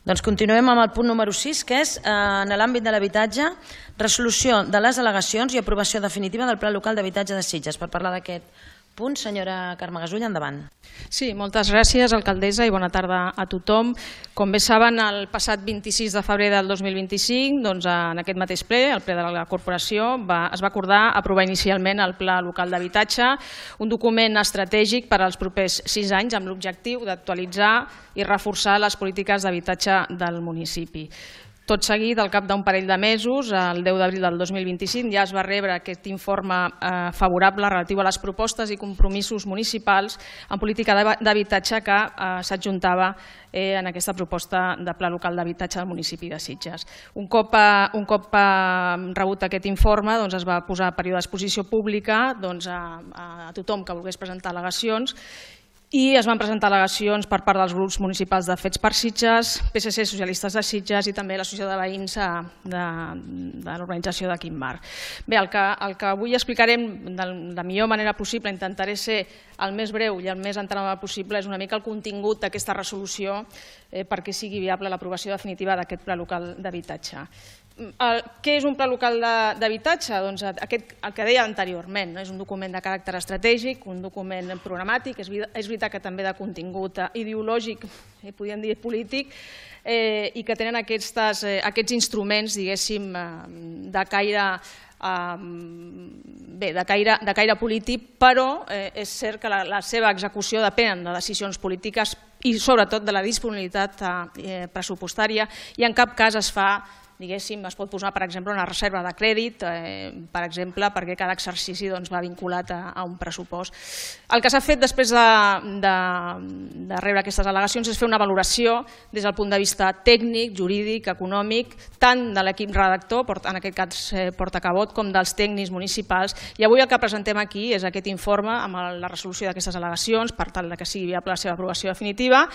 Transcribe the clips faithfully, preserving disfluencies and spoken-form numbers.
Doncs continuem amb el punt número sis, que és, en l'àmbit de l'habitatge, resolució de les al·legacions i aprovació definitiva del Pla Local d'Habitatge de Sitges. Per parlar d'aquest punt, senyora Carme Gasull, endavant. Sí, moltes gràcies, alcaldessa, i bona tarda a tothom. Com bé saben, el passat vint-i-sis de febrer del dos mil vint-i-cinc, en aquest mateix ple, el ple de la corporació, es va acordar aprovar inicialment el Pla Local d'Habitatge, un document estratègic per als propers sis anys amb l'objectiu d'actualitzar i reforçar les polítiques d'habitatge del municipi. Tot seguit, al cap d'un parell de mesos, el deu d'abril del dos mil vint-i-cinc, ja es va rebre aquest informe favorable relatiu a les propostes i compromisos municipals en política d'habitatge que s'adjuntava en aquesta proposta de Pla Local d'Habitatge del municipi de Sitges. Un cop rebut aquest informe, es va posar a període d'exposició pública a tothom que volgués presentar al·legacions, i es van presentar al·legacions per part dels grups municipals de Fets per Sitges, P S C, Socialistes de Sitges i també l'Associació de Veïns de l'urbanització de Quimbar. Bé, el que avui explicarem de la millor manera possible, intentaré ser el més breu i el més entenedor possible, és una mica el contingut d'aquesta resolució perquè sigui viable l'aprovació definitiva d'aquest Pla Local d'Habitatge. Què és un pla local d'habitatge? Doncs el que deia anteriorment, és un document de caràcter estratègic, un document programàtic, és veritat que també de contingut ideològic, podríem dir polític, i que tenen aquests instruments, diguéssim, de caire bé, de caire polític, però és cert que la seva execució depèn de decisions polítiques i sobretot de la disponibilitat pressupostària i en cap cas es fa, diguéssim, es pot posar, per exemple, una reserva de crèdit, per exemple, perquè cada exercici va vinculat a un pressupost. El que s'ha fet després de rebre aquestes al·legacions és fer una valoració des del punt de vista tècnic, jurídic, econòmic, tant de l'equip redactor, en aquest cas portacabot, com dels tècnics municipals. I avui el que presentem aquí és aquest informe amb la resolució d'aquestes al·legacions per tal que sigui viable la seva aprovació definitiva.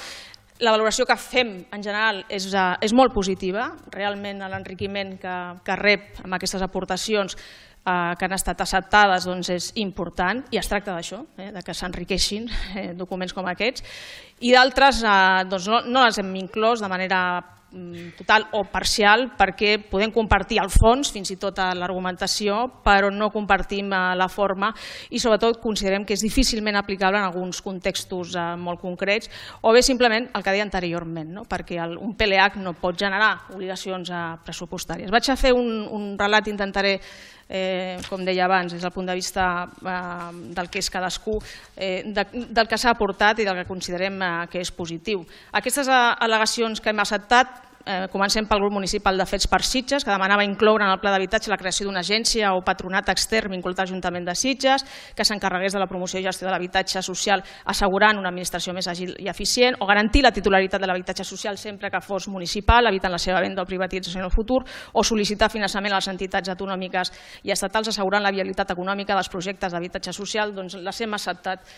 La valoració que fem en general és molt positiva, realment l'enriquiment que rep amb aquestes aportacions que han estat acceptades és important i es tracta d'això, que s'enriqueixin documents com aquests, i d'altres no les hem inclòs de manera total o parcial perquè podem compartir el fons, fins i tot l'argumentació, però no compartim la forma i sobretot considerem que és difícilment aplicable en alguns contextos molt concrets o bé simplement el que deia anteriorment, perquè un P L H no pot generar obligacions pressupostàries. Vaig a fer un relat, intentaré, com deia abans, des del punt de vista del que és cadascú, del que s'ha aportat i del que considerem que és positiu. Aquestes al·legacions que hem acceptat, comencem pel grup municipal de Fets per Sitges, que demanava incloure en el pla d'habitatge la creació d'una agència o patronat extern vinculat a l'Ajuntament de Sitges que s'encarregués de la promoció i gestió de l'habitatge social assegurant una administració més àgil i eficient o garantir la titularitat de l'habitatge social sempre que fos municipal, evitant la seva venda o privatització en el futur, o sol·licitar finançament a les entitats autonòmiques i estatals assegurant la viabilitat econòmica dels projectes d'habitatge social. Doncs les hem acceptat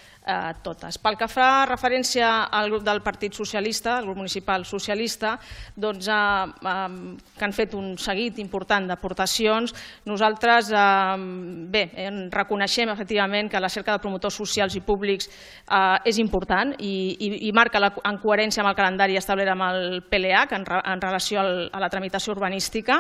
totes. Pel que fa referència al grup del Partit Socialista, el grup municipal socialista, doncs que han fet un seguit important d'aportacions. Nosaltres reconeixem efectivament que la cerca de promotors socials i públics és important i marca en coherència amb el calendari establert amb el P L H en relació a la tramitació urbanística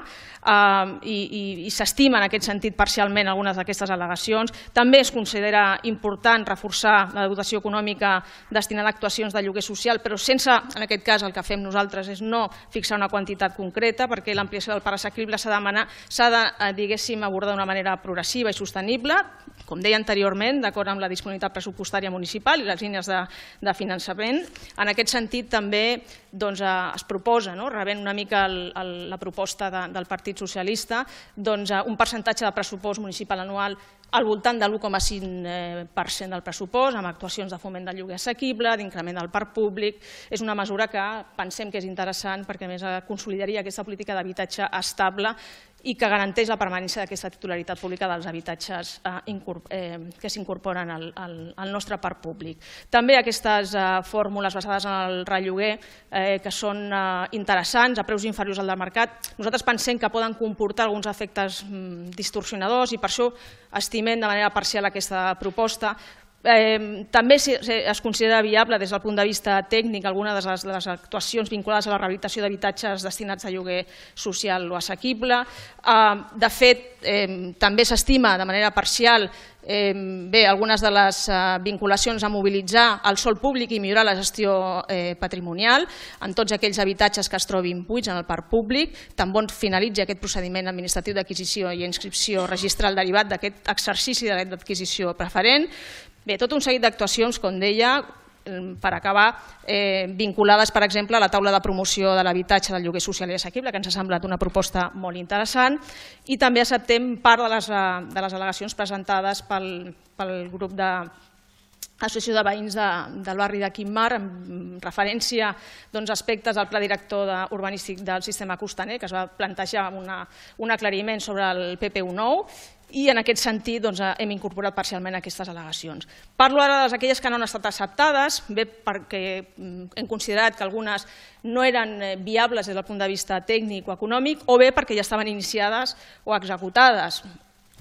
i s'estima en aquest sentit parcialment algunes d'aquestes al·legacions. També es considera important reforçar la dotació econòmica destinada a actuacions de lloguer social, però sense, en aquest cas, el que fem nosaltres és no fixar una quantitat concreta perquè l'ampliació del parc assequible s'ha de, diguéssim, abordar d'una manera progressiva i sostenible, com deia anteriorment, d'acord amb la disponibilitat pressupostària municipal i les línies de finançament. En aquest sentit també es proposa, rebent una mica la proposta del Partit Socialista, un percentatge de pressupost municipal anual al voltant de l'u coma cinc per cent del pressupost, amb actuacions de foment del lloguer assequible, d'increment del parc públic. És una mesura que pensem que és interessant perquè a més consolidaria aquesta política d'habitatge estable i que garanteix la permanència d'aquesta titularitat pública dels habitatges que s'incorporen al nostre parc públic. També aquestes fórmules basades en el relloguer que són interessants, a preus inferiors al del mercat, nosaltres pensem que poden comportar alguns efectes distorsionadors i per això estimem de manera parcial aquesta proposta També es considera viable des del punt de vista tècnic alguna de les actuacions vinculades a la rehabilitació d'habitatges destinats a lloguer social o assequible. De fet, també s'estima de manera parcial bé, algunes de les vinculacions a mobilitzar el sòl públic i millorar la gestió patrimonial en tots aquells habitatges que es trobin buits en el parc públic, tan bon finalitzi aquest procediment administratiu d'acquisició i inscripció registral derivat d'aquest exercici de dret d'adquisició preferent. Bé, tot un seguit d'actuacions, com deia, per acabar, vinculades, per exemple, a la taula de promoció de l'habitatge del lloguer social i assequible, que ens ha semblat una proposta molt interessant, i també acceptem part de les al·legacions presentades pel grup de l'Associació de Veïns del barri de Quim-Mar, en referència a aspectes del pla director urbanístic del sistema costaner, que es va plantejar un aclariment sobre el P P U nou, i en aquest sentit hem incorporat parcialment aquestes al·legacions. Parlo ara d'aquelles que no han estat acceptades, bé perquè hem considerat que algunes no eren viables des del punt de vista tècnic o econòmic, o bé perquè ja estaven iniciades o executades,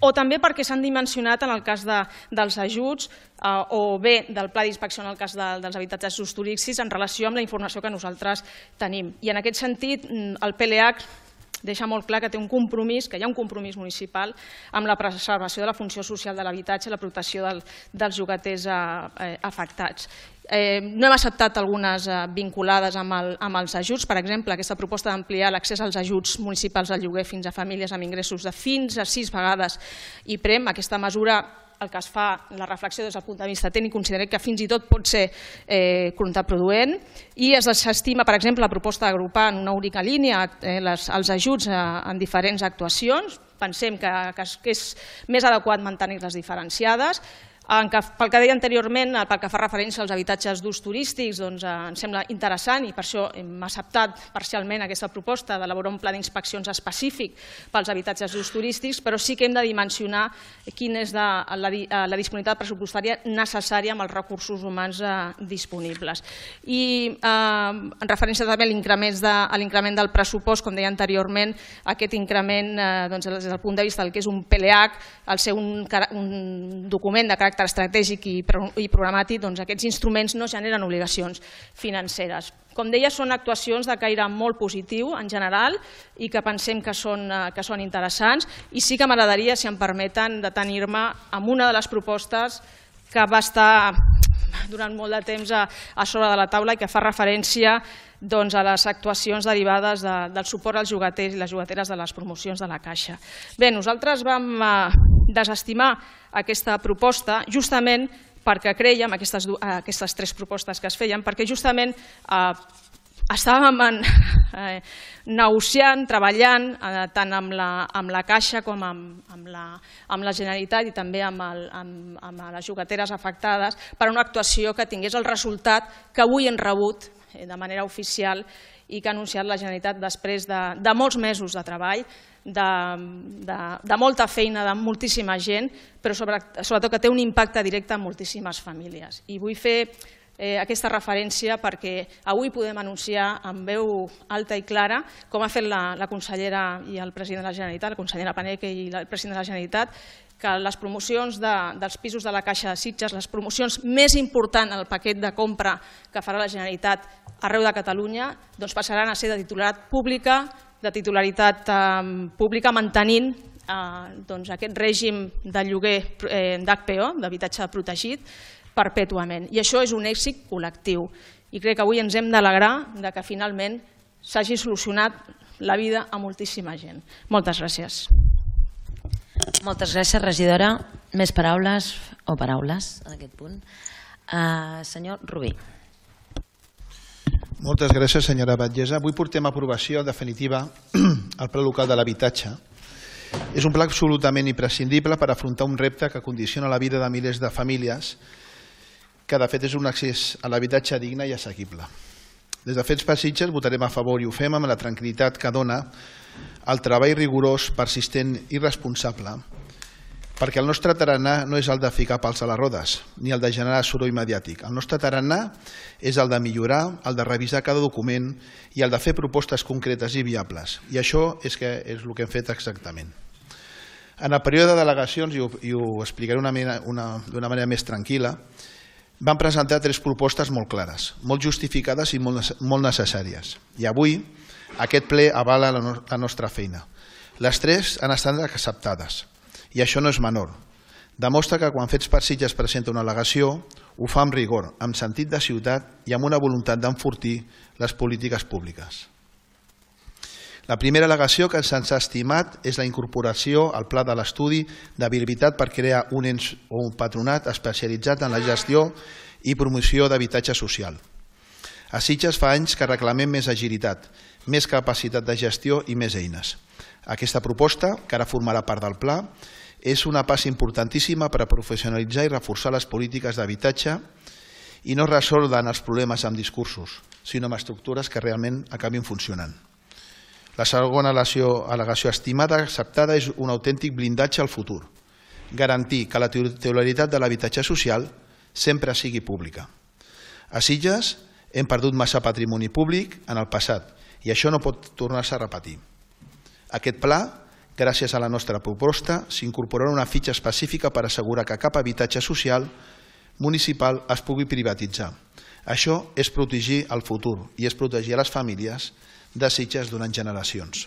o també perquè s'han dimensionat en el cas dels ajuts o bé del pla d'inspecció en el cas dels habitatges d'ús turístic en relació amb la informació que nosaltres tenim. I en aquest sentit el P L H deixa molt clar que té un compromís, que hi ha un compromís municipal amb la preservació de la funció social de l'habitatge i la protecció dels llogaters afectats. No hem acceptat algunes vinculades amb els ajuts, per exemple, aquesta proposta d'ampliar l'accés als ajuts municipals al lloguer fins a famílies amb ingressos de fins a sis vegades I P R E M. Aquesta mesura, el que es fa, la reflexió des del punt de vista tècnic, considerem que fins i tot pot ser contraproduent, i es desestima, per exemple, la proposta d'agrupar en una única línia els ajuts en diferents actuacions. Pensem que és més adequat mantenir-les diferenciades. Pel que deia anteriorment, pel que fa referència als habitatges d'ús turístics, ens sembla interessant i per això hem acceptat parcialment aquesta proposta d'elaborar un pla d'inspeccions específic pels habitatges d'ús turístics, però sí que hem de dimensionar quina és la disponibilitat pressupostària necessària amb els recursos humans disponibles. I en referència també a l'increment del pressupost, com deia anteriorment, aquest increment des del punt de vista del que és un P L H, al ser un document de caràcter estratègic i programàtic, aquests instruments no generen obligacions financeres. Com deia, són actuacions de caire molt positiu en general i que pensem que són interessants, i sí que m'agradaria, si em permeten, detenir-me amb una de les propostes que va estar durant molt de temps a sobre de la taula i que fa referència a les actuacions derivades del suport als llogaters i les llogateres de les promocions de la Caixa. Bé, nosaltres vam desestimar aquesta proposta justament perquè crèiem, aquestes tres propostes que es feien, perquè justament estàvem negociant, treballant tant amb la Caixa com amb la Generalitat i també amb les llogateres afectades per una actuació que tingués el resultat que avui hem rebut de manera oficial i que ha anunciat la Generalitat després de molts mesos de treball, de molta feina de moltíssima gent, però sobretot que té un impacte directe en moltíssimes famílies. I vull fer aquesta referència perquè avui podem anunciar amb veu alta i clara, com ha fet la consellera i el president de la Generalitat, la consellera Paneque i el president de la Generalitat, que les promocions dels pisos de la Caixa de Sitges, les promocions més importants en el paquet de compra que farà la Generalitat arreu de Catalunya, passaran a ser de titularitat pública, de titularitat pública mantenint aquest règim de lloguer d'H P O, d'habitatge protegit, perpètuament. I això és un èxit col·lectiu. I crec que avui ens hem d'alegrar que finalment s'hagi solucionat la vida a moltíssima gent. Moltes gràcies. Moltes gràcies, regidora. Més paraules o paraules en aquest punt? Senyor Rubí. Moltes gràcies, senyora Batllessa. Avui portem a aprovació definitiva el Pla Local de l'Habitatge. És un pla absolutament imprescindible per afrontar un repte que condiciona la vida de milers de famílies, que de fet és un accés a l'habitatge digne i assequible. Des de Fets per Sitges votarem a favor i ho fem amb la tranquil·litat que dona el treball rigorós, persistent i responsable, perquè el nostre tarannà no és el de ficar pals a les rodes, ni el de generar soroll mediàtic. El nostre tarannà és el de millorar, el de revisar cada document i el de fer propostes concretes i viables. I això és el que hem fet exactament. En el període de delegacions, i ho, i ho explicaré d'una manera més tranquil·la, van presentar tres propostes molt clares, molt justificades i molt, molt necessàries. I avui aquest ple avala la, no, la nostra feina. Les tres han estat acceptades, i això no és menor. Demostra que quan Fets per Sitges presenta una al·legació, ho fa amb rigor, amb sentit de ciutat i amb una voluntat d'enfortir les polítiques públiques. La primera al·legació que se'ns ha estimat és la incorporació al pla de l'estudi d'habilitat per crear un ens o un patronat especialitzat en la gestió i promoció d'habitatge social. A Sitges fa anys que reclamem més agilitat, més capacitat de gestió i més eines. Aquesta proposta, que ara formarà part del pla, és una passa importantíssima per a professionalitzar i reforçar les polítiques d'habitatge i no resoldre els problemes amb discursos, sinó amb estructures que realment acabin funcionant. La segona al·legació estimada acceptada és un autèntic blindatge al futur, garantir que la titularitat de l'habitatge social sempre sigui pública. A Sitges hem perdut massa patrimoni públic en el passat i això no pot tornar-se a repetir. Aquest pla, gràcies a la nostra proposta, s'incorporarà una fitxa específica per assegurar que cap habitatge social municipal es pugui privatitzar. Això és protegir el futur i és protegir les famílies de Sitges durant generacions.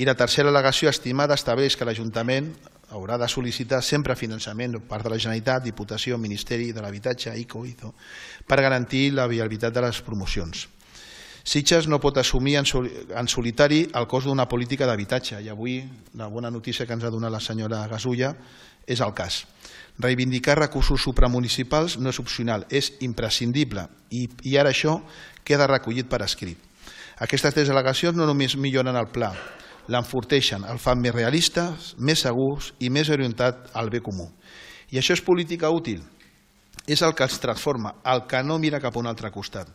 I la tercera al·legació estimada estableix que l'Ajuntament haurà de sol·licitar sempre finançament per part de la Generalitat, Diputació, Ministeri de l'Habitatge, I C O, I Z O, per garantir la viabilitat de les promocions. Sitges no pot assumir en solitari el cost d'una política d'habitatge i avui la bona notícia que ens ha donat la senyora Gasulla és el cas. Reivindicar recursos supramunicipals no és opcional, és imprescindible i ara això queda recollit per escrit. Aquestes tres al·legacions no només milloren el pla, l'enforteixen, el fan més realista, més segurs i més orientat al bé comú. I això és política útil, és el que els transforma, el que no mira cap a un altre costat.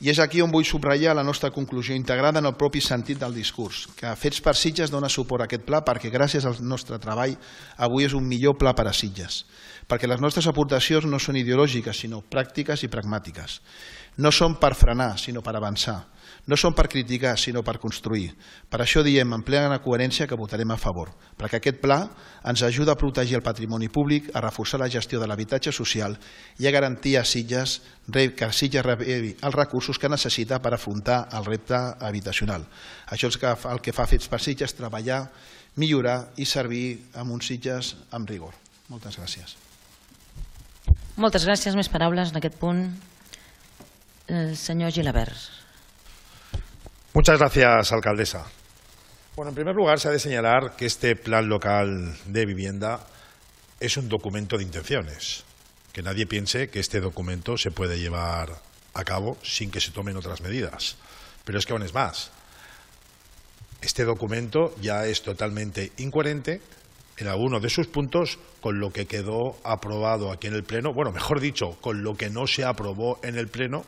I és aquí on vull subratllar la nostra conclusió integrada en el propi sentit del discurs, que Fets per Sitges dona suport a aquest pla perquè gràcies al nostre treball avui és un millor pla per a Sitges, perquè les nostres aportacions no són ideològiques sinó pràctiques i pragmàtiques. No són per frenar sinó per avançar. No són per criticar, sinó per construir. Per això diem en plena coherència que votarem a favor, perquè aquest pla ens ajuda a protegir el patrimoni públic, a reforçar la gestió de l'habitatge social i a garantir a Sitges que Sitges rebi els recursos que necessita per afrontar el repte habitacional. Això és el que fa Fets per Sitges, treballar, millorar i servir amb uns Sitges amb rigor. Moltes gràcies. Moltes gràcies. Més paraules en aquest punt. El senyor Gilabert. Muchas gracias, alcaldesa. Bueno, en primer lugar, se ha de señalar que este Plan Local de Vivienda es un documento de intenciones. Que nadie piense que este documento se puede llevar a cabo sin que se tomen otras medidas. Pero es que aún es más. Este documento ya es totalmente incoherente en alguno de sus puntos con lo que quedó aprobado aquí en el Pleno, bueno, mejor dicho, con lo que no se aprobó en el Pleno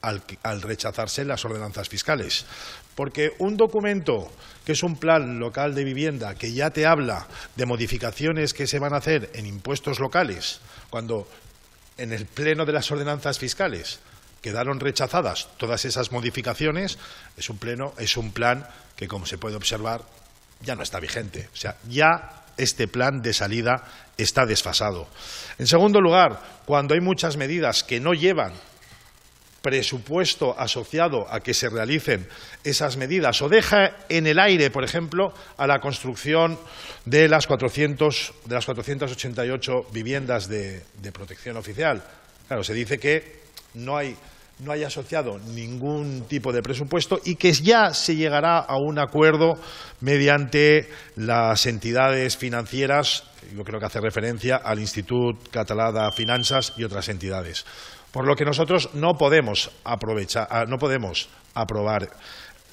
Al, al rechazarse las ordenanzas fiscales. Porque un documento que es un plan local de vivienda que ya te habla de modificaciones que se van a hacer en impuestos locales, cuando en el pleno de las ordenanzas fiscales quedaron rechazadas todas esas modificaciones, es un, pleno, es un plan que, como se puede observar, ya no está vigente. O sea, ya este plan de salida está desfasado. En segundo lugar, cuando hay muchas medidas que no llevan presupuesto asociado a que se realicen esas medidas o deja en el aire, por ejemplo, a la construcción de las, cuatrocientas, de las cuatrocientas ochenta y ocho viviendas de, de protección oficial. Claro, se dice que no hay, no hay asociado ningún tipo de presupuesto y que ya se llegará a un acuerdo mediante las entidades financieras, yo creo que hace referencia al Institut Català de Finances y otras entidades. Por lo que nosotros no podemos aprovechar, no podemos aprobar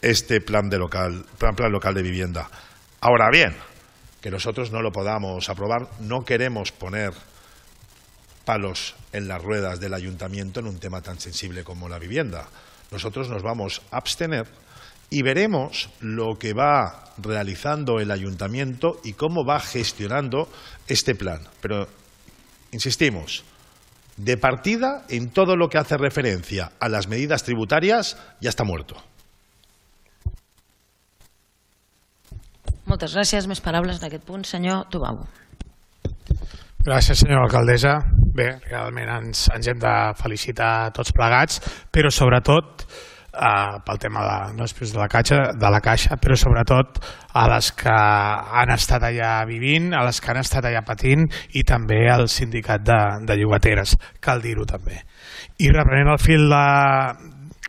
este plan, de local, plan, plan local de vivienda. Ahora bien, que nosotros no lo podamos aprobar, no queremos poner palos en las ruedas del ayuntamiento en un tema tan sensible como la vivienda. Nosotros nos vamos a abstener y veremos lo que va realizando el ayuntamiento y cómo va gestionando este plan. Pero, insistimos, de partida, en todo lo que hace referencia a las medidas tributarias, ya está muerto. Moltes gràcies. Més paraules d'aquest punt. Senyor Tubau. Gràcies, senyora alcaldessa. Bé, realment ens, ens hem de felicitar tots plegats, però sobretot eh, pel tema de, no després de la, caixa, de la caixa, però sobretot a les que han estat allà vivint, a les que han estat allà patint i també al sindicat de, de llogateres, cal dir-ho també. I reprenent el fil de,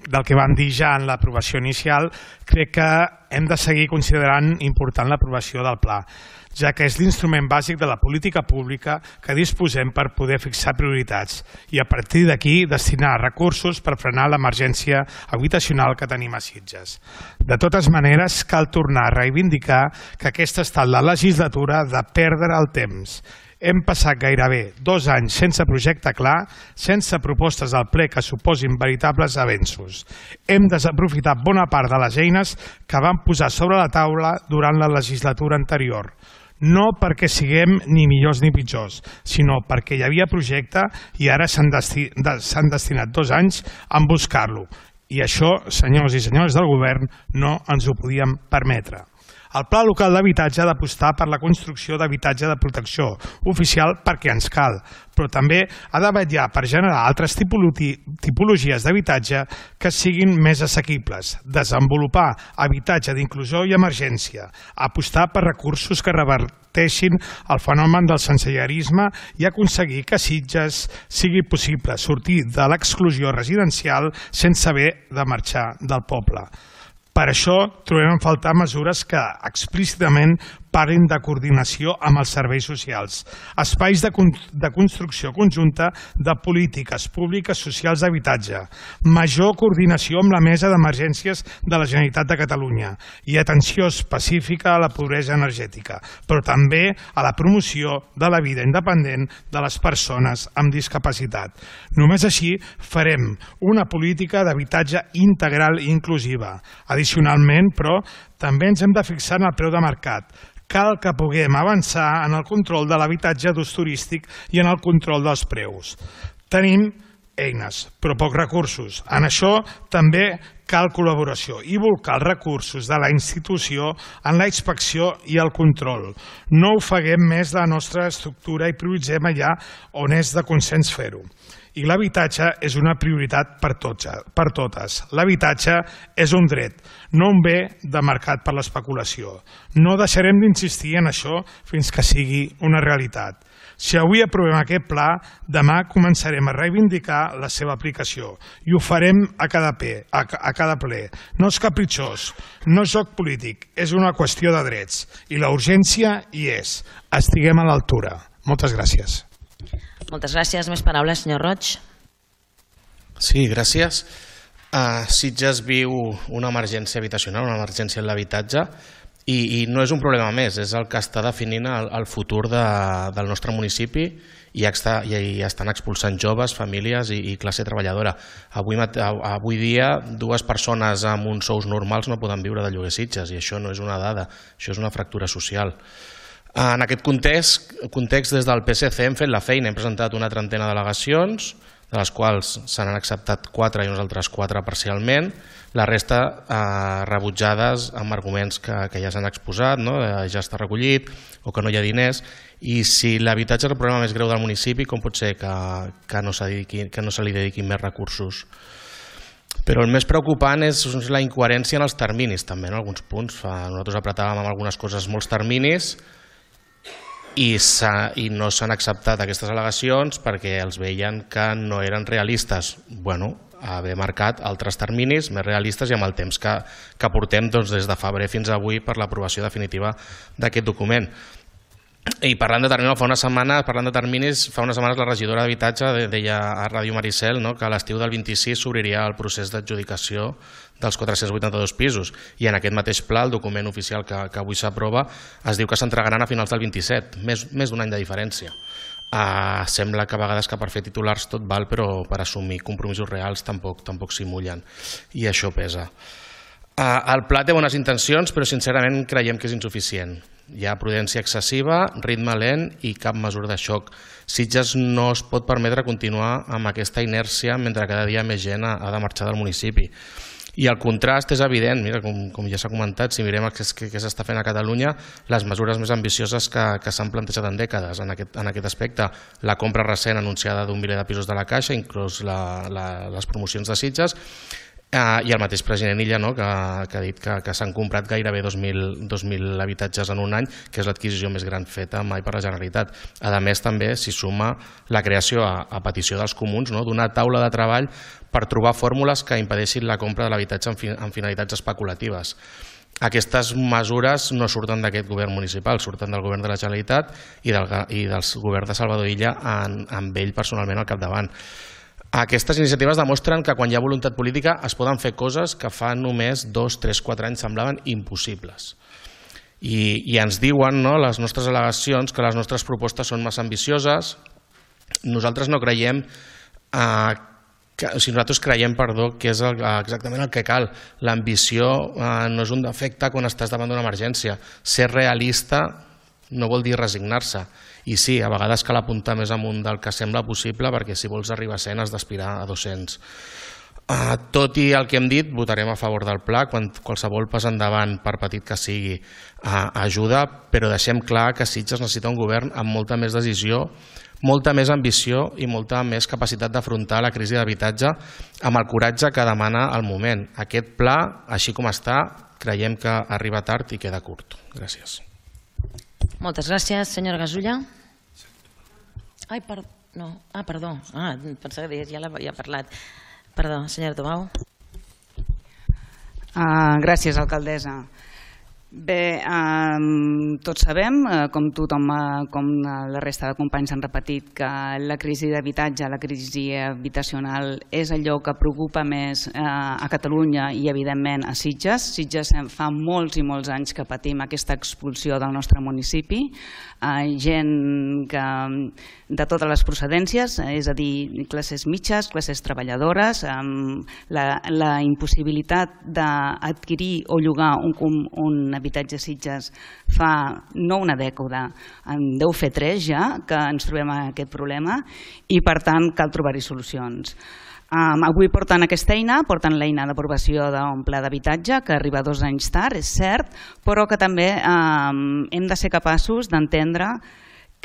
del que vam dir ja en l'aprovació inicial, crec que hem de seguir considerant important l'aprovació del pla, ja que és l'instrument bàsic de la política pública que disposem per poder fixar prioritats i a partir d'aquí destinar recursos per frenar l'emergència habitacional que tenim a Sitges. De totes maneres, cal tornar a reivindicar que aquesta ha estat la legislatura de perdre el temps. Hem passat gairebé dos anys sense projecte clar, sense propostes al ple que suposin veritables avenços. Hem desaprofitat bona part de les eines que vam posar sobre la taula durant la legislatura anterior. No perquè siguem ni millors ni pitjors, sinó perquè hi havia projecte i ara s'han desti s'han destinat dos anys a buscar-lo. I això, senyors i senyores del govern, no ens ho podíem permetre. El Pla Local d'Habitatge ha d'apostar per la construcció d'habitatge de protecció oficial perquè ens cal, però també ha de vetllar per generar altres tipologies d'habitatge que siguin més assequibles, desenvolupar habitatge d'inclusió i emergència, apostar per recursos que reverteixin el fenomen del sensellarisme i aconseguir que a Sitges sigui possible sortir de l'exclusió residencial sense haver de marxar del poble. Per això trobem a faltar mesures que explícitament parlin de coordinació amb els serveis socials, espais de, con de construcció conjunta de polítiques públiques socials d'habitatge, major coordinació amb la Mesa d'Emergències de la Generalitat de Catalunya i atenció específica a la pobresa energètica, però també a la promoció de la vida independent de les persones amb discapacitat. Només així farem una política d'habitatge integral i inclusiva. Addicionalment, però, també ens hem de fixar en el preu de mercat. Cal que puguem avançar en el control de l'habitatge d'ús turístic i en el control dels preus. Tenim eines, però pocs recursos. En això també cal col·laboració i volcar els recursos de la institució en la inspecció i el control. No ofeguem més la nostra estructura i prioritzem allà on és de consens fer-ho. I l'habitatge és una prioritat per totes. L'habitatge és un dret, no un bé de mercat per l'especulació. No deixarem d'insistir en això fins que sigui una realitat. Si avui aprovem aquest pla, demà començarem a reivindicar la seva aplicació i ho farem a cada, ple, a, a cada ple. No és capritxós, no és joc polític, és una qüestió de drets i la urgència hi és. Estiguem a l'altura. Moltes gràcies. Moltes gràcies. Més paraules, senyor Roig. Sí, gràcies. Uh, Sitges viu una emergència habitacional, una emergència en l'habitatge i, i no és un problema més, és el que està definint el, el futur de, del nostre municipi i, està, i estan expulsant joves, famílies i, i classe treballadora. Avui, avui dia dues persones amb uns sous normals no poden viure de lloguer Sitges i això no és una dada, això és una fractura social. En aquest context, context, des del P S C hem fet la feina, hem presentat una trentena d'al·legacions, de les quals se n'han acceptat quatre i uns altres quatre parcialment, la resta eh, rebutjades amb arguments que, que ja s'han exposat, no? Ja està recollit o que no hi ha diners, i si l'habitatge és el problema més greu del municipi, com pot ser que, que, no, que no se li dediquin més recursos? Però el més preocupant és la incoherència en els terminis, també, en alguns punts. Nosaltres apretàvem amb algunes coses molts terminis, i, i no s'han acceptat aquestes al·legacions perquè els veien que no eren realistes. Bueno, haver marcat altres terminis més realistes i amb el temps que, que portem doncs, des de febrer fins avui per l'aprovació definitiva d'aquest document. I parlant de terminis, fa una setmana, parlant de terminis, fa unes setmanes la regidora d'Habitatge deia a Ràdio Maricel, no?, que a l'estiu del vint-i-sis s'obriria el procés d'adjudicació dels quatre-cents vuitanta-dos pisos i en aquest mateix pla, el document oficial que, que avui s'aprova, es diu que s'entregaran a finals del vint-i-set, més, més d'un any de diferència. Uh, sembla que a vegades que per fer titulars tot val, però per assumir compromisos reals tampoc, tampoc s'hi mullen i això pesa. Uh, el pla té bones intencions, però sincerament creiem que és insuficient. Hi ha prudència excessiva, ritme lent i cap mesura de xoc. Sitges no es pot permetre continuar amb aquesta inèrcia mentre cada dia més gent ha de marxar del municipi. I el contrast és evident, mira, com, com ja s'ha comentat, si mirem què, què s'està fent a Catalunya, les mesures més ambicioses que, que s'han plantejat en dècades en aquest, en aquest aspecte. La compra recent anunciada d'un miler de pisos de la Caixa, inclús la, la, les promocions de Sitges, Uh, i el mateix president Illa, no?, que, que ha dit que, que s'han comprat gairebé dos mil habitatges en un any, que és l'adquisició més gran feta mai per la Generalitat. A més, també s'hi suma la creació a, a petició dels comuns, no?, d'una taula de treball per trobar fórmules que impedeixin la compra de l'habitatge en, fi, en finalitats especulatives. Aquestes mesures no surten d'aquest govern municipal, surten del govern de la Generalitat i del, i del govern de Salvador Illa en, amb ell personalment al capdavant. Aquestes iniciatives demostren que quan hi ha voluntat política es poden fer coses que fa només dos, tres, quatre anys semblaven impossibles. I, i ens diuen, no, les nostres al·legacions, que les nostres propostes són massa ambicioses. Nosaltres no creiem, eh, que, o sigui, nosaltres creiem, perdó, que és el, exactament el que cal. L'ambició eh, no és un defecte quan estàs davant d'una emergència. Ser realista no vol dir resignar-se. I sí, a vegades cal apuntar més amunt del que sembla possible, perquè si vols arribar a cent has d'aspirar a dos-cents. Uh, tot i el que hem dit, votarem a favor del pla. Quan qualsevol pas endavant, per petit que sigui, uh, ajuda, però deixem clar que Sitges necessita un govern amb molta més decisió, molta més ambició i molta més capacitat d'afrontar la crisi d'habitatge amb el coratge que demana el moment. Aquest pla, així com està, creiem que arriba tard i queda curt. Gràcies. Moltes gràcies, senyora Gasulla. Ai, per... no. Ah, perdó. Ah, pensava que ja l'ha ja parlat. Perdó, senyora Tomau. Uh, gràcies, alcaldessa. Bé, eh, tots sabem, eh, com tothom, eh, com la resta de companys han repetit, que la crisi d'habitatge, la crisi habitacional és allò que preocupa més eh, a Catalunya i evidentment a Sitges. Sitges fa molts i molts anys que patim aquesta expulsió del nostre municipi, eh, gent que, de totes les procedències, és a dir, classes mitges, classes treballadores, eh, la, la impossibilitat d'adquirir o llogar un, un habitatge a Sitges fa no una dècada, en deu fer tres ja que ens trobem amb aquest problema i per tant cal trobar-hi solucions. Um, avui porten aquesta eina, porten l'eina d'aprovació d'un pla d'habitatge que arriba dos anys tard, és cert, però que també um, hem de ser capaços d'entendre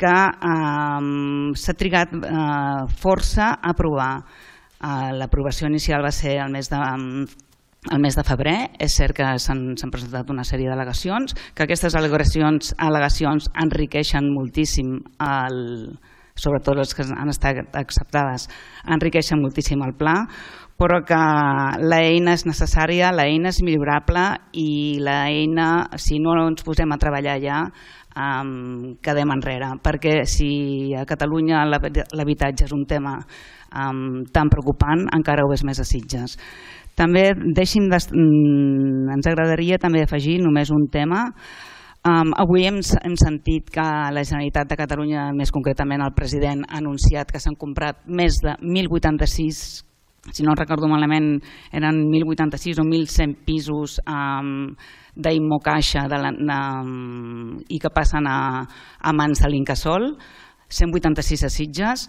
que um, s'ha trigat uh, força a aprovar. Uh, L'aprovació inicial va ser el mes de... Um, el mes de febrer. És cert que s'han presentat una sèrie d'al·legacions, que aquestes al·legacions, al·legacions enriqueixen moltíssim, el, sobretot les que han estat acceptades, enriqueixen moltíssim el pla, però que l'eina és necessària, l'eina és millorable i l'eina, si no ens posem a treballar ja, um, quedem enrere, perquè si a Catalunya l'habitatge és un tema um, tan preocupant, encara ho és més a Sitges. També deixi'm de, ens agradaria també afegir només un tema. Um, avui hem, hem sentit que la Generalitat de Catalunya, més concretament el president, ha anunciat que s'han comprat més de mil vuitanta-sis, si no recordo malament, eren mil vuitanta-sis o mil cent pisos um, d'Immocaixa de la, de, i que passen a, a mans de l'Incasòl, cent vuitanta-sis a Sitges.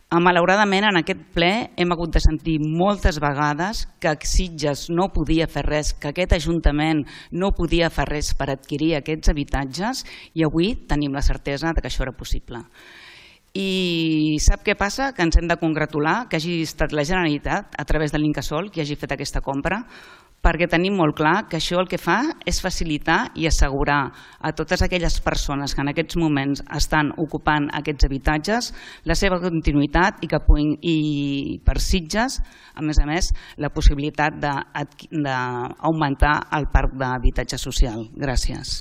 Malauradament, en aquest ple hem hagut de sentir moltes vegades que Sitges no podia fer res, que aquest Ajuntament no podia fer res per adquirir aquests habitatges i avui tenim la certesa que això era possible. I sap què passa? Que ens hem de congratular que hagi estat la Generalitat, a través de l'Incasòl, qui hagi fet aquesta compra, perquè tenim molt clar que això el que fa és facilitar i assegurar a totes aquelles persones que en aquests moments estan ocupant aquests habitatges la seva continuïtat i que puguin, i per Sitges, a més a més, la possibilitat d'augmentar el parc d'habitatge social. Gràcies.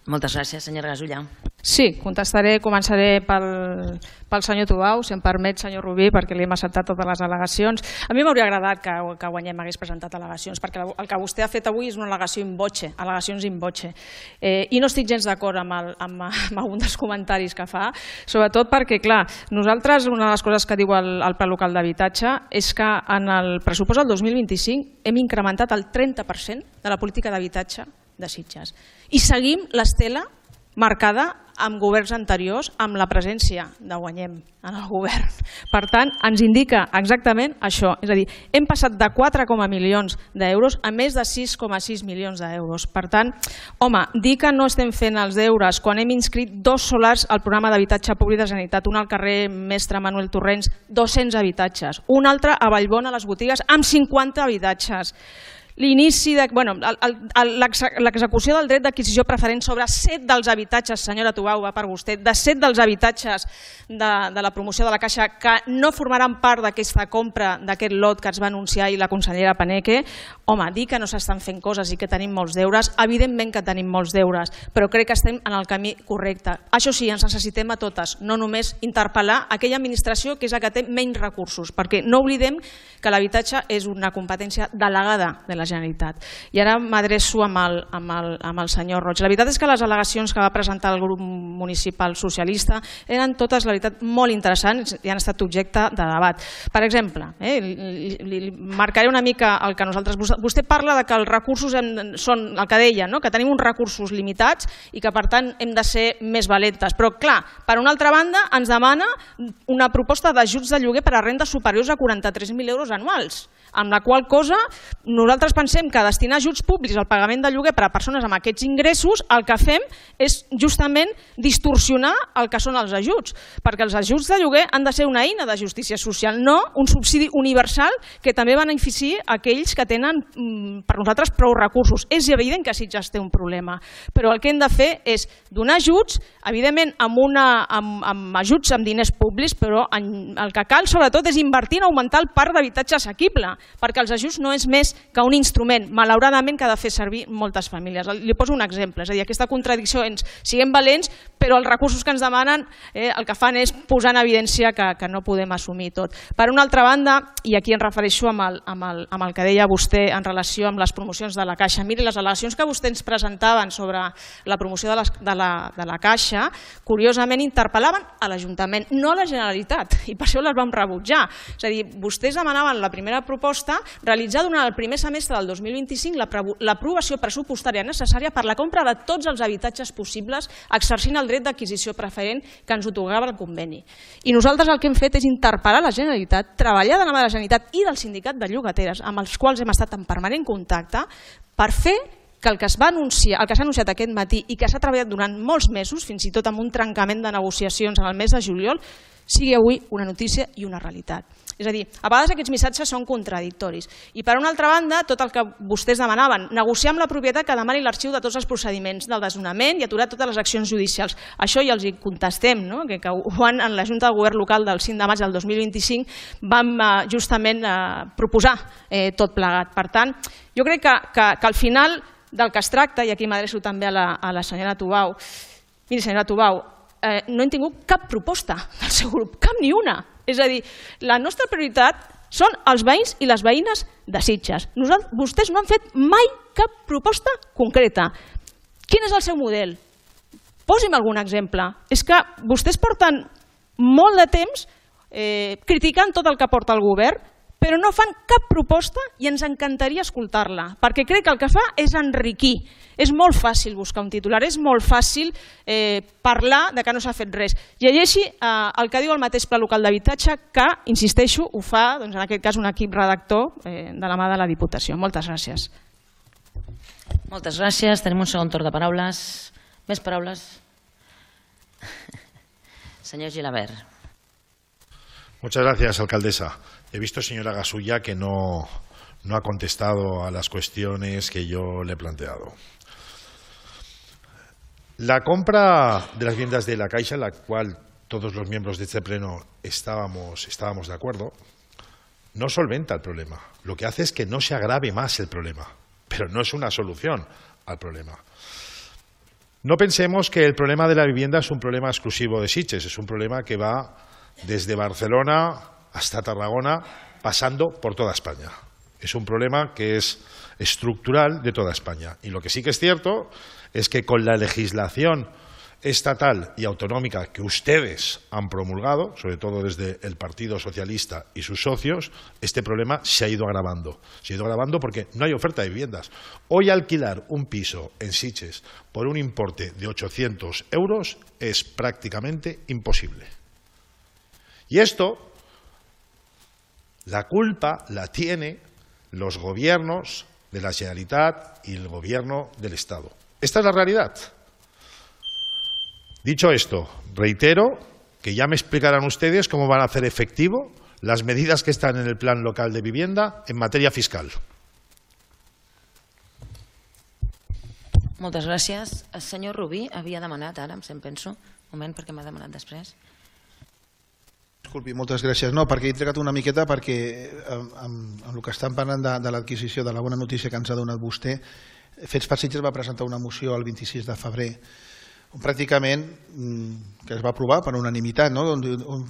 Moltes gràcies, senyora Gasulla. Sí, contestaré, començaré pel, pel senyor Tubau, si em permet, senyor Rubí, perquè li hem acceptat totes les al·legacions. A mi m'hauria agradat que, que Guanyem hagués presentat al·legacions, perquè el que vostè ha fet avui és una al·legació in voce, al·legacions in voce. Eh, I no estic gens d'acord amb, el, amb, amb algun dels comentaris que fa, sobretot perquè, clar, nosaltres, una de les coses que diu el, el Pla Local d'Habitatge és que en el pressupost del dos mil vint-i-cinc hem incrementat el trenta per cent de la política d'habitatge de Sitges. I seguim l'estela marcada amb governs anteriors, amb la presència de Guanyem en el govern. Per tant, ens indica exactament això. És a dir, hem passat de quatre coma milions d'euros a més de sis coma sis milions d'euros. Per tant, home, dir que no estem fent els deures quan hem inscrit dos solars al programa d'habitatge públic de Generalitat, un al carrer Mestre Manuel Torrents, dos-cents habitatges, un altre a Vallbona, a les botigues, amb cinquanta habitatges. L'inici de... Bueno, l'execució del dret d'adquisició preferent sobre set dels habitatges, senyora Tubau, va per vostè, de set dels habitatges de, de la promoció de la Caixa que no formaran part d'aquesta compra, d'aquest lot que ens va anunciar ahir la consellera Paneque. Home, dir que no s'estan fent coses i que tenim molts deures, evidentment que tenim molts deures, però crec que estem en el camí correcte. Això sí, ens necessitem a totes, no només interpel·lar aquella administració que és la que té menys recursos, perquè no oblidem que l'habitatge és una competència delegada de la Generalitat. I ara m'adreço amb, el, amb, el, amb el senyor Roig. La veritat és que les al·legacions que va presentar el grup municipal socialista eren totes, la veritat, molt interessants i han estat objecte de debat. Per exemple, eh, li, li, li marcaré una mica el que nosaltres... Vostè parla de que els recursos hem, són el que deia, no? Que tenim uns recursos limitats i que per tant hem de ser més valentes. Però clar, per una altra banda ens demana una proposta d'ajuts de lloguer per a rendes superiors a quaranta-tres mil euros anuals, amb la qual cosa nosaltres pensem que destinar ajuts públics al pagament de lloguer per a persones amb aquests ingressos el que fem és justament distorsionar el que són els ajuts, perquè els ajuts de lloguer han de ser una eina de justícia social, no un subsidi universal que també benefici aquells que tenen per nosaltres prou recursos. És evident que Sitges té un problema, però el que hem de fer és donar ajuts, evidentment amb, una, amb, amb ajuts amb diners públics, però en, el que cal sobretot és invertir en augmentar el parc d'habitatge assequible, perquè els ajuts no és més que un instrument, malauradament, que ha de fer servir moltes famílies. Li poso un exemple, és a dir, aquesta contradicció ens siguem valents, però els recursos que ens demanen eh, el que fan és posar en evidència que, que no podem assumir tot. Per una altra banda, i aquí em refereixo amb el, amb, el, amb el que deia vostè en relació amb les promocions de la Caixa, miri, les al·legacions que vostè ens presentaven sobre la promoció de, les, de, la, de la Caixa, curiosament interpel·laven a l'Ajuntament, no a la Generalitat, i per això les vam rebutjar. És a dir, vostès demanaven la primera proposta realitzar durant el primer semestre del dos mil vint-i-cinc l'aprovació pressupostària necessària per la compra de tots els habitatges possibles exercint el dret d'adquisició preferent que ens atorgava el conveni. I nosaltres el que hem fet és interpel·lar la Generalitat, treballar de la mà de la Generalitat i del sindicat de llogateres, amb els quals hem estat en permanent contacte, per fer que el que es va anunciar, el que s'ha anunciat aquest matí i que s'ha treballat durant molts mesos, fins i tot amb un trencament de negociacions en el mes de juliol, sigui avui una notícia i una realitat. És a dir, a vegades aquests missatges són contradictoris. I per una altra banda, tot el que vostès demanaven, negociar amb la propietat que demani l'arxiu de tots els procediments del desnonament i aturar totes les accions judicials. Això ja els hi contestem, no? que, que quan en la Junta de Govern Local del cinc de maig del dos mil vint-i-cinc vam eh, justament eh, proposar eh, tot plegat. Per tant, jo crec que, que, que al final del que es tracta, i aquí m'adreço també a la, a la senyora Tubau, miri senyora Tubau, eh, no hem tingut cap proposta del seu grup, cap ni una. És a dir, la nostra prioritat són els veïns i les veïnes de Sitges. Nosaltres, vostès no han fet mai cap proposta concreta. Quin és el seu model? Posi'm algun exemple. És que vostès porten molt de temps eh, criticant tot el que porta el govern, però no fan cap proposta i ens encantaria escoltar-la, perquè crec que el que fa és enriquir. És molt fàcil buscar un titular, és molt fàcil eh, parlar de que no s'ha fet res. Llegeixi eh, el que diu el mateix Pla Local d'Habitatge, que, insisteixo, ho fa, doncs, en aquest cas, un equip redactor eh, de la mà de la Diputació. Moltes gràcies. Moltes gràcies. Tenim un segon torn de paraules. Més paraules? Senyor Gilabert. Muchas gracias, alcaldesa. He visto, señora Gasulla, que no, no ha contestado a las cuestiones que yo le he planteado. La compra de las viviendas de la Caixa, en la cual todos los miembros de este pleno estábamos, estábamos de acuerdo, no solventa el problema. Lo que hace es que no se agrave más el problema, pero no es una solución al problema. No pensemos que el problema de la vivienda es un problema exclusivo de Sitges, es un problema que va desde Barcelona hasta Tarragona, pasando por toda España. Es un problema que es estructural de toda España. Y lo que sí que es cierto es que con la legislación estatal y autonómica que ustedes han promulgado, sobre todo desde el Partido Socialista y sus socios, este problema se ha ido agravando. Se ha ido agravando porque no hay oferta de viviendas. Hoy alquilar un piso en Sitges por un importe de ochocientos euros es prácticamente imposible. Y esto, la culpa la tiene los gobiernos de la Generalitat y el gobierno del Estado. Esta es la realidad. Dicho esto, reitero que ya me explicarán ustedes cómo van a hacer efectivo las medidas que están en el Plan Local de Vivienda en materia fiscal. Moltes gràcies. El senyor Rubí havia demanat, ara em penso, un moment perquè m'ha demanat després. Disculpi, moltes gràcies. No, perquè he trigat una miqueta perquè amb, amb el que estan parlant de, de l'adquisició de la bona notícia que ens ha donat vostè, Fets per Sitges va presentar una moció el vint-i-sis de febrer on pràcticament que es va aprovar per unanimitat, no? on,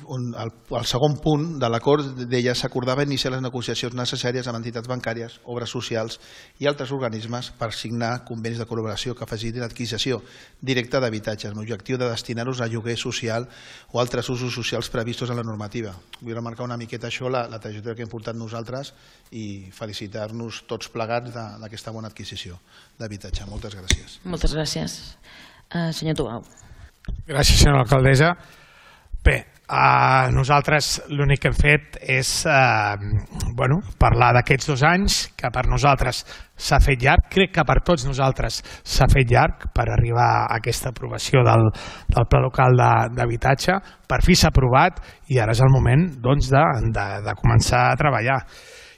on el, el segon punt de l'acord deia s'acordava iniciar les negociacions necessàries amb entitats bancàries, obres socials i altres organismes per signar convenis de col·laboració que facilitin l'adquisició directa d'habitatges amb l'objectiu de destinar-los a lloguer social o altres usos socials previstos en la normativa. Vull remarcar una miqueta això, la, la trajectòria que hem portat nosaltres i felicitar-nos tots plegats d'aquesta bona adquisició d'habitatge. Moltes gràcies. Moltes gràcies. Uh, senyor Tubau. Gràcies, senyora alcaldessa. Bé, uh, nosaltres l'únic que hem fet és uh, bueno, parlar d'aquests dos anys, que per nosaltres s'ha fet llarg, crec que per tots nosaltres s'ha fet llarg per arribar a aquesta aprovació del, del Pla Local d'Habitatge. Per fi s'ha aprovat i ara és el moment doncs, de, de, de començar a treballar.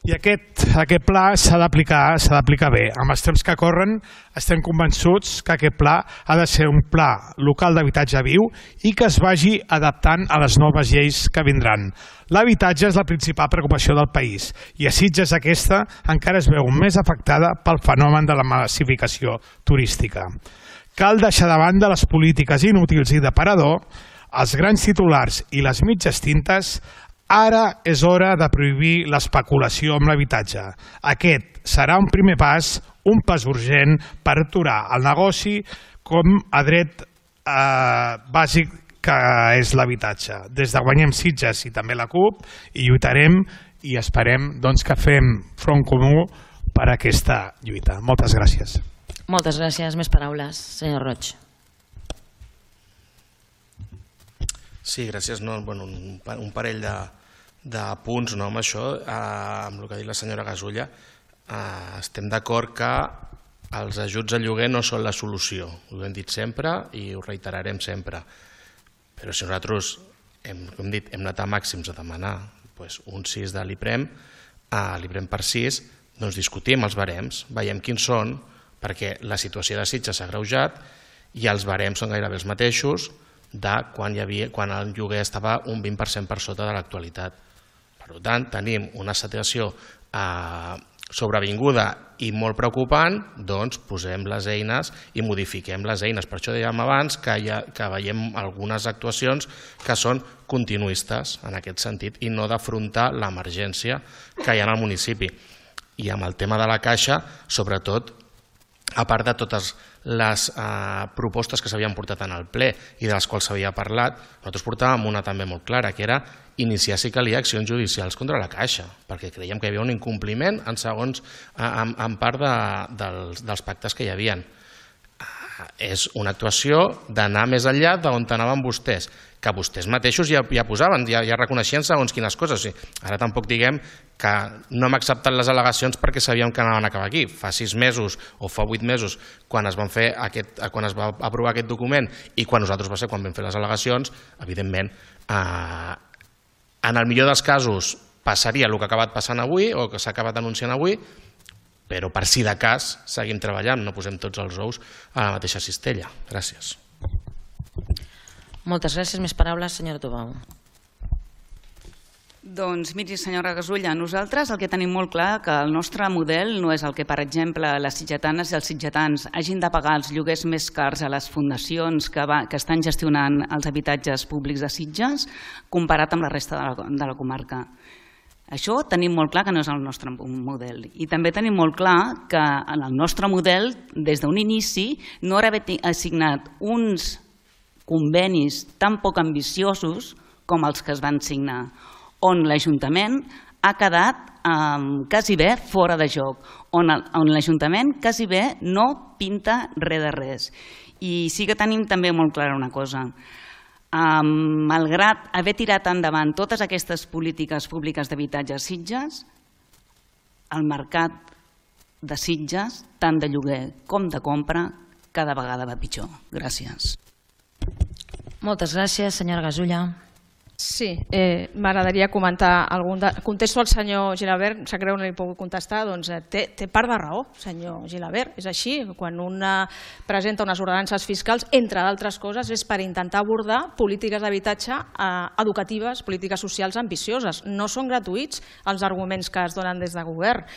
I aquest, aquest pla s'ha d'aplicar s'ha d'aplicar bé. Amb els temps que corren estem convençuts que aquest pla ha de ser un pla local d'habitatge viu i que es vagi adaptant a les noves lleis que vindran. L'habitatge és la principal preocupació del país i a Sitges aquesta encara es veu més afectada pel fenomen de la massificació turística. Cal deixar de banda les polítiques inútils i d'aparador, els grans titulars i les mitges tintes. Ara és hora de prohibir l'especulació amb l'habitatge. Aquest serà un primer pas, un pas urgent per aturar el negoci com a dret eh, bàsic que és l'habitatge. Des de Guanyem Sitges i també la CUP hi lluitarem i esperem doncs, que fem front comú per a aquesta lluita. Moltes gràcies. Moltes gràcies. Més paraules. Senyor Roig. Sí, gràcies. No, bueno, un, un parell de, de punts no, amb això, eh, amb el que ha dit la senyora Gasulla. Eh, estem d'acord que els ajuts al lloguer no són la solució. Ho hem dit sempre i ho reiterarem sempre. Però si nosaltres hem, hem, dit, hem anat a màxims a demanar doncs, un sis de l'IPREM, a l'IPREM per sis, doncs discutim els barems, veiem quins són, perquè la situació de Sitges s'ha agreujat i els barems són gairebé els mateixos de quan, hi havia, quan el lloguer estava un vint per cent per sota de l'actualitat. Per tant, tenim una situació eh, sobrevinguda i molt preocupant, doncs posem les eines i modifiquem les eines. Per això dèiem abans que, ha, que veiem algunes actuacions que són continuistes en aquest sentit i no d'afrontar l'emergència que hi ha en el municipi. I amb el tema de la Caixa, sobretot, a part de totes les eh, propostes que s'havien portat en el ple i de les quals s'havia parlat, nosaltres portàvem una també molt clara, que era iniciar si calia accions judicials contra la Caixa, perquè creiem que hi havia un incompliment en, segons, en, en part de, dels, dels pactes que hi havia. Eh, és una actuació d'anar més enllà d'on anaven vostès, que vostès mateixos ja, ja posaven, ja, ja reconeixien segons quines coses. O sigui, ara tampoc diguem que no hem acceptat les al·legacions perquè sabíem que anaven a acabar aquí. Fa sis mesos o fa vuit mesos, quan es, van fer aquest, quan es va aprovar aquest document i quan nosaltres va ser quan vam fer les al·legacions, evidentment, eh, en el millor dels casos passaria el que ha acabat passant avui o que s'ha acabat anunciant avui, però per si de cas seguim treballant, no posem tots els ous a la mateixa cistella. Gràcies. Moltes gràcies. Més paraules, senyora Tubau. Doncs miri, senyora Gasulla, nosaltres el que tenim molt clar que el nostre model no és el que, per exemple, les sitgetanes i els sitgetans hagin de pagar els lloguers més cars a les fundacions que, va, que estan gestionant els habitatges públics de Sitges comparat amb la resta de la, de la comarca. Això tenim molt clar que no és el nostre model. I també tenim molt clar que en el nostre model, des d'un inici, no era haver assignat uns convenis tan poc ambiciosos com els que es van signar, on l'Ajuntament ha quedat quasi bé fora de joc, on l'Ajuntament quasi bé no pinta res de res. I sí que tenim també molt clara una cosa. Malgrat haver tirat endavant totes aquestes polítiques públiques d'habitatge a Sitges, el mercat de Sitges, tant de lloguer com de compra, cada vegada va pitjor. Gràcies. Moltes gràcies, senyora Gasulla. Sí, eh, m'agradaria comentar algun... De... Contesto al senyor Gilabert, sap greu no li puc contestar, doncs eh, té, té part de raó, senyor Gilabert. És així, quan un presenta unes ordenances fiscals, entre d'altres coses, és per intentar abordar polítiques d'habitatge eh, educatives, polítiques socials ambicioses. No són gratuïts els arguments que es donen des de govern.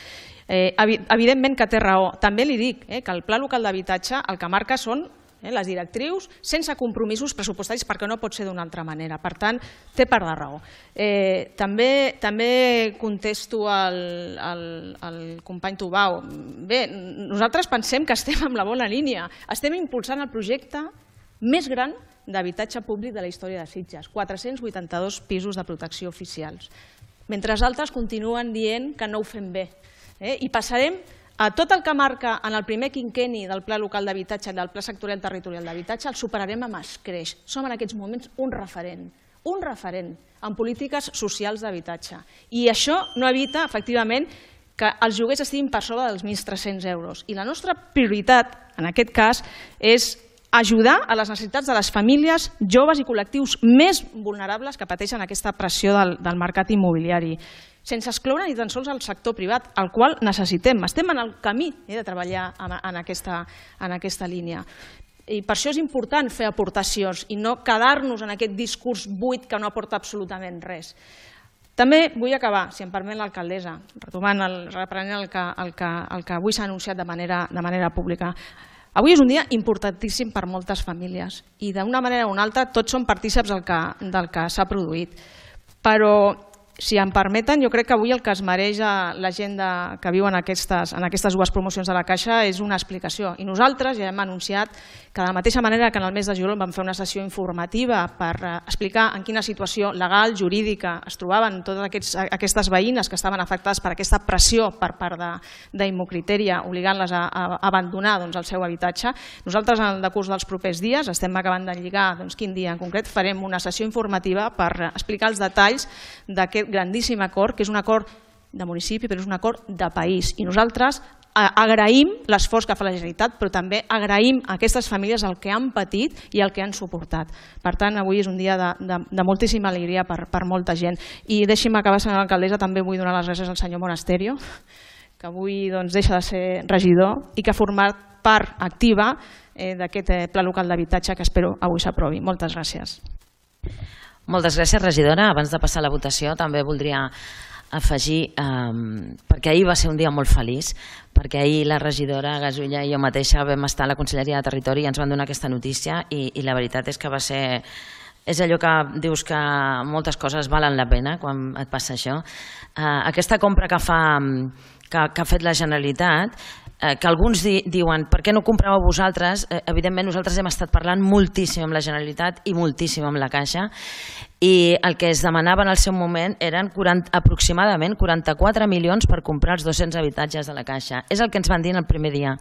Eh, evidentment que té raó. També li dic eh, que el Pla Local d'Habitatge el que marca són les directrius sense compromisos pressupostaris, perquè no pot ser d'una altra manera. Per tant, té part de raó. Eh, també, també contesto al, al, al company Tubau. Bé, nosaltres pensem que estem en la bona línia. Estem impulsant el projecte més gran d'habitatge públic de la història de Sitges, quatre-cents vuitanta-dos pisos de protecció oficials. Mentre altres continuen dient que no ho fem bé. Eh? I passarem a tot el que marca en el primer quinquenni del Pla Local d'Habitatge i del Pla Sectorial Territorial d'Habitatge el superarem amb escreix. Som en aquests moments un referent, un referent en polítiques socials d'habitatge. I això no evita, efectivament, que els lloguers estiguin per sobre dels mil tres-cents euros. I la nostra prioritat, en aquest cas, és ajudar a les necessitats de les famílies, joves i col·lectius més vulnerables que pateixen aquesta pressió del, del mercat immobiliari, sense excloure ni tan sols el sector privat, el qual necessitem. Estem en el camí eh, de treballar en, en, aquesta, en aquesta línia. I per això és important fer aportacions i no quedar-nos en aquest discurs buit que no aporta absolutament res. També vull acabar, si em permet l'alcaldessa, retomant el, reprenent el que, el que, el que avui s'ha anunciat de manera, de manera pública. Avui és un dia importantíssim per moltes famílies i d'una manera o una altra tots són partíceps del que, del que s'ha produït. Però, si em permeten, jo crec que avui el que es mereix la gent que viu en aquestes, en aquestes dues promocions de la Caixa és una explicació. I nosaltres ja hem anunciat que de la mateixa manera que en el mes de juliol vam fer una sessió informativa per explicar en quina situació legal, jurídica es trobaven totes aquests, aquestes veïnes que estaven afectades per aquesta pressió per part d'Immocritèria obligant-les a, a abandonar doncs, el seu habitatge, nosaltres en el decurs dels propers dies estem acabant de lligar doncs, quin dia en concret farem una sessió informativa per explicar els detalls d'aquest grandíssim acord, que és un acord de municipi, però és un acord de país. I nosaltres agraïm l'esforç que fa la Generalitat, però també agraïm a aquestes famílies el que han patit i el que han suportat. Per tant, avui és un dia de, de, de moltíssima alegria per, per molta gent. I deixi'm acabar, senyora alcaldessa, també vull donar les gràcies al senyor Monasterio, que avui doncs, deixa de ser regidor i que ha format part activa eh, d'aquest eh, Pla Local d'Habitatge que espero avui s'aprovi. Moltes gràcies. Moltes gràcies, regidora. Abans de passar a la votació també voldria afegir, eh, perquè ahir va ser un dia molt feliç, perquè ahir la regidora Gasulla i jo mateixa vam estar a la Conselleria de Territori i ens van donar aquesta notícia i, i la veritat és que va ser... És allò que dius que moltes coses valen la pena quan et passa això. Eh, aquesta compra que, fa, que, que ha fet la Generalitat, eh, que alguns di, diuen per què no compràveu vosaltres, eh, evidentment nosaltres hem estat parlant moltíssim amb la Generalitat i moltíssim amb la Caixa i el que es demanava en el seu moment eren quaranta, aproximadament quaranta-quatre milions per comprar els dos-cents habitatges de la Caixa. És el que ens van dir en el primer dia.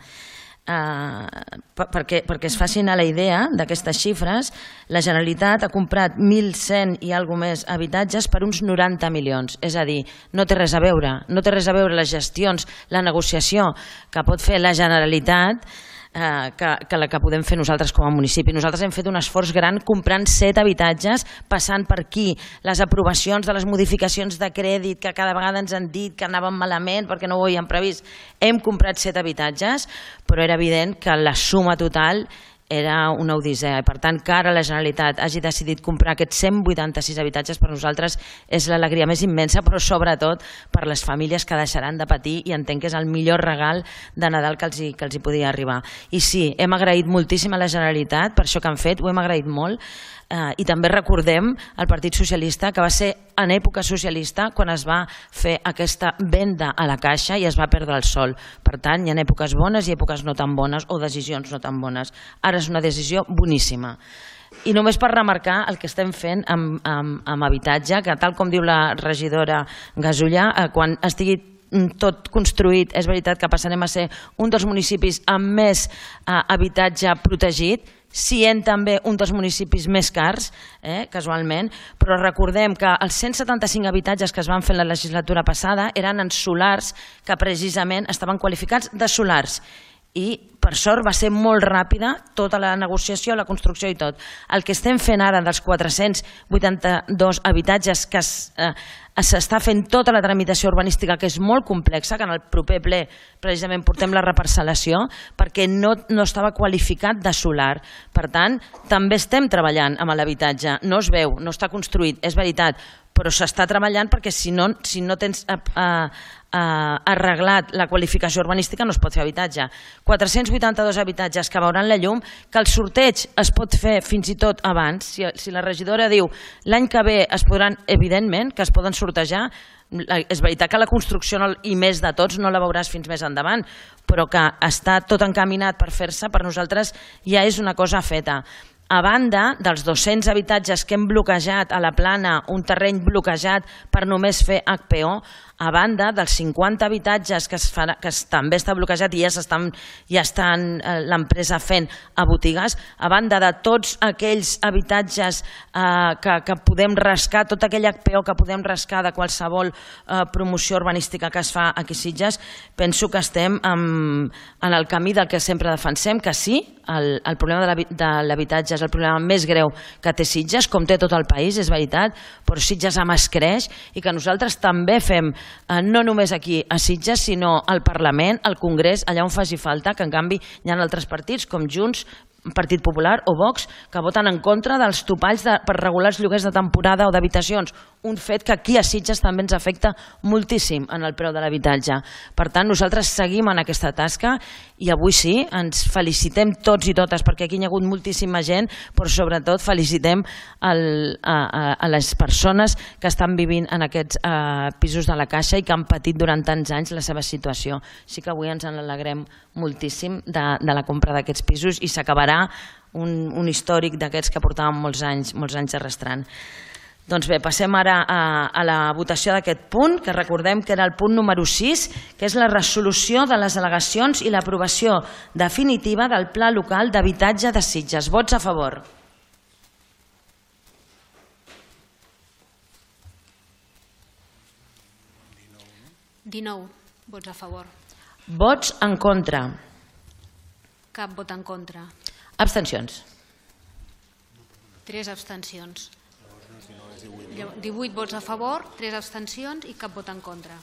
Uh, perquè, perquè es facin a la idea d'aquestes xifres, la Generalitat ha comprat mil cent i alguna més habitatges per uns noranta milions. És a dir, no té res a veure, no té res a veure les gestions, la negociació que pot fer la Generalitat eh, que, que la que podem fer nosaltres com a municipi. Nosaltres hem fet un esforç gran comprant set habitatges, passant per aquí les aprovacions de les modificacions de crèdit que cada vegada ens han dit que anaven malament perquè no ho havíem previst. Hem comprat set habitatges, però era evident que la suma total era una odissea. Per tant, que ara la Generalitat hagi decidit comprar aquests cent vuitanta-sis habitatges per nosaltres és l'alegria més immensa, però sobretot per les famílies que deixaran de patir, i entenc que és el millor regal de Nadal que els hi, que els hi podia arribar. I sí, hem agraït moltíssim a la Generalitat per això que han fet, ho hem agraït molt, eh, i també recordem al Partit Socialista que va ser en època socialista quan es va fer aquesta venda a la Caixa i es va perdre el sol. Per tant, hi ha èpoques bones i èpoques no tan bones o decisions no tan bones. Ara és una decisió boníssima. I només per remarcar el que estem fent amb, amb, amb habitatge, que tal com diu la regidora Gasulla, eh, quan estigui tot construït, és veritat que passarem a ser un dels municipis amb més eh, habitatge protegit, sent també un dels municipis més cars, eh, casualment, però recordem que els cent setanta-cinc habitatges que es van fer la legislatura passada eren en solars que precisament estaven qualificats de solars. I per sort va ser molt ràpida tota la negociació, la construcció i tot. El que estem fent ara dels quatre-cents vuitanta-dos habitatges que s'està fent tota la tramitació urbanística, que és molt complexa, que en el proper ple precisament portem la reparcel·lació, perquè no, no estava qualificat de solar. Per tant, també estem treballant amb l'habitatge. No es veu, no està construït, és veritat, però s'està treballant perquè si no, si no tens eh, eh, arreglat la qualificació urbanística no es pot fer habitatge. quatre-cents vuitanta-dos habitatges que veuran la llum, que el sorteig es pot fer fins i tot abans. Si, si la regidora diu l'any que ve es podran, evidentment, que es poden sortejar, és veritat que la construcció no, i més de tots no la veuràs fins més endavant, però que està tot encaminat per fer-se, per nosaltres ja és una cosa feta. A banda dels dos-cents habitatges que hem bloquejat a la Plana, un terreny bloquejat per només fer H P O, a banda dels cinquanta habitatges que, es farà, que es, també està bloquejat i ja estan, ja estan eh, l'empresa fent a botigues, a banda de tots aquells habitatges eh, que, que podem rascar, tot aquell H P O que podem rascar de qualsevol eh, promoció urbanística que es fa aquí a Sitges, penso que estem en, en el camí del que sempre defensem, que sí, el, el problema de l'habitatge és el problema més greu que té Sitges, com té tot el país, és veritat, però Sitges amb es creix i que nosaltres també fem no només aquí a Sitges, sinó al Parlament, al Congrés, allà on faci falta, que en canvi hi ha altres partits com Junts, Partit Popular o Vox, que voten en contra dels topalls de, per regular els lloguers de temporada o d'habitacions, un fet que aquí a Sitges també ens afecta moltíssim en el preu de l'habitatge. Per tant, nosaltres seguim en aquesta tasca i avui sí, ens felicitem tots i totes, perquè aquí hi ha hagut moltíssima gent, però sobretot felicitem el, a, a, a les persones que estan vivint en aquests uh, pisos de la Caixa i que han patit durant tants anys la seva situació. Sí que avui ens en alegrem moltíssim de, de la compra d'aquests pisos i s'acabarà un, un històric d'aquests que portàvem molts anys, molts anys arrastrant. Doncs bé, passem ara a, a la votació d'aquest punt, que recordem que era el punt número sis, que és la resolució de les al·legacions i l'aprovació definitiva del Pla Local d'Habitatge de Sitges. Vots a favor. dinou vots a favor. Vots en contra. Cap vot en contra. Abstencions. Tres abstencions. divuit vots a favor, tres abstencions i cap vot en contra.